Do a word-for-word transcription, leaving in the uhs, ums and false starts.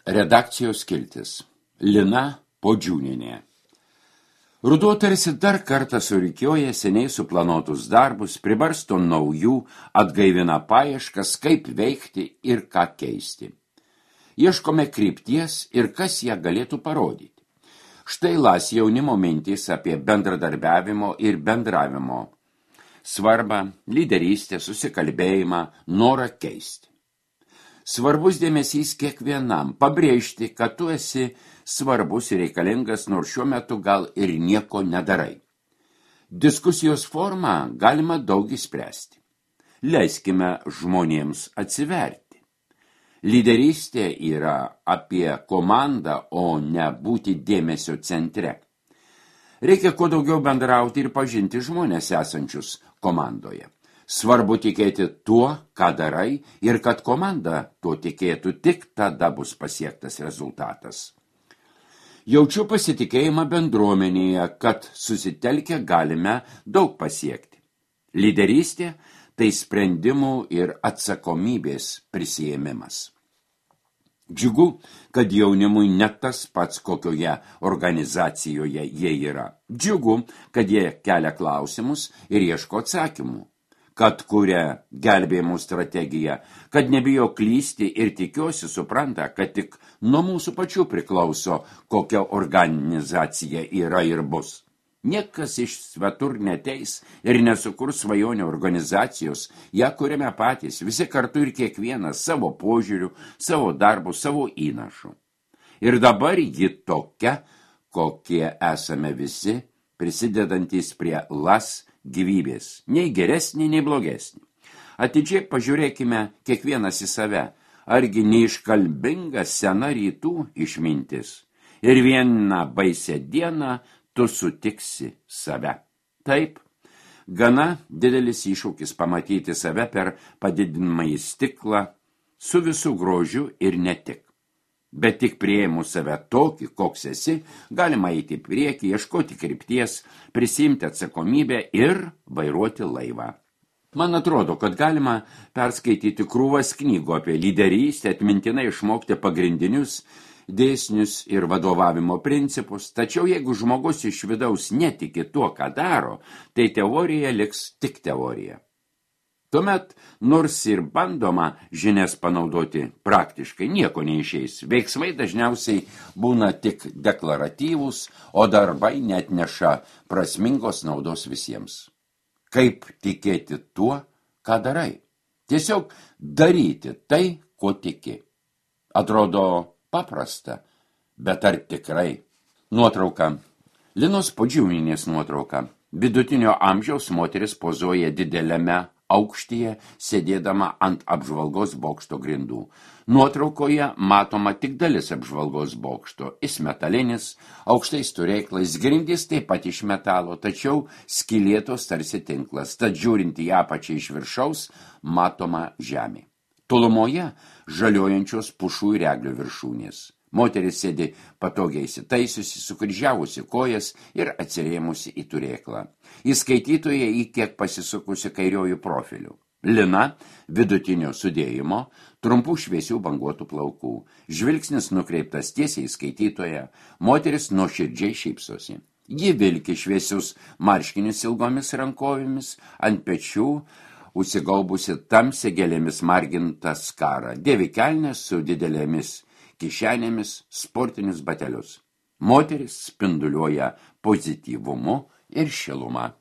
Redakcijos skiltis. Lina Podžiūnienė. Ruduo tarsi dar kartą surikioja seniai suplanuotus darbus, pribarsto naujų, atgaivina paieškas, kaip veikti ir ką keisti. Ieškome krypties ir kas ją galėtų parodyti. Štai las jaunimo mintys apie bendradarbiavimo ir bendravimo svarbą, lyderystę, susikalbėjimą, norą keisti. Svarbus dėmesys kiekvienam, pabrėžti, kad tu esi svarbus ir reikalingas, nors šiuo metu gal ir nieko nedarai. Diskusijos formą galima daug įspręsti. Leiskime žmonėms atsiverti. Lyderystė yra apie komandą, o ne būti dėmesio centre. Reikia kuo daugiau bendrauti ir pažinti žmonės esančius komandoje. Svarbu tikėti tuo, ką darai, ir kad komanda tuo tikėtų, tik tada bus pasiektas rezultatas. Jaučiu pasitikėjimą bendruomenėje, kad susitelkę galime daug pasiekti. Lyderystė – tai sprendimų ir atsakomybės prisiėmimas. Džiugu, kad jaunimui ne tas pats, kokioje organizacijoje jie yra. Džiugu, kad jie kelia klausimus ir ieško atsakymų, kad kuria gelbėjimų strategiją, kad nebijo klysti ir tikiuosi supranta, kad tik nuo mūsų pačių priklauso, kokia organizacija yra ir bus. Niekas iš svetur neteis ir nesukurs svajonių organizacijos, ją kuriame patys, visi kartu ir kiekvienas savo požiūrių, savo darbų, savo įnašų. Ir dabar ji tokia, kokie esame visi, prisidedantys prie las gyvybės, nei geresnį, nei blogesnį. Atidžiai pažiūrėkime kiekvienas į save, argi neiškalbinga sena rytų išmintis. Ir vieną baisę dieną tu sutiksi save. Taip, gana didelis iššūkis pamatyti save per padidinamąjį stiklą su visų grožiu ir ne tik. Bet tik priėmus save tokį, koks esi, galima eiti į priekį, ieškoti krypties, prisimti atsakomybę ir vairuoti laivą. Man atrodo, kad galima perskaityti krūvas knygų apie lyderystę, atmintinai išmokti pagrindinius dėsnius ir vadovavimo principus, tačiau jeigu žmogus iš vidaus netiki tuo, ką daro, tai teorija liks tik teorija. Tuomet, nors ir bandoma žinias panaudoti praktiškai, nieko neišeis. Veiksmai dažniausiai būna tik deklaratyvūs, o darbai net neša prasmingos naudos visiems. Kaip tikėti tuo, ką darai? Tiesiog daryti tai, ko tiki. Atrodo paprasta, bet ar tikrai? Nuotrauka. Linos Podžiūnienės nuotrauka. Vidutinio amžiaus moteris pozuoja dideliame aukštyje, sėdėdama ant apžvalgos bokšto grindų. Nuotraukoje matoma tik dalis apžvalgos bokšto. Jis metalinis, aukštais turėklais, grindys taip pat iš metalo, tačiau skylėtos tarsi tinklas, tad žiūrint į apačią iš viršaus, matoma žemė. Tolumoje žaliojančios pušų ir eglių viršūnės. Moteris sėdi patogiai įsitaisiusi, sukryžiavusi kojas ir atsirėmusi į turėklą. Įskaitytoje į kiek pasisukusi kairiojų profilių. Lina vidutinio sudėjimo, trumpų šviesių banguotų plaukų. Žvilgsnis nukreiptas tiesiai į skaitytoją, moteris nuoširdžiai šypsosi. Ji vilki šviesius marškinius ilgomis rankovėmis, ant pečių užsigaubusi tamsia gėlėmis margintą skarą, dėvi kelnes su didelėmis kišenėmis, sportinius batelius. Moteris spinduliuoja pozityvumu ir šilumą.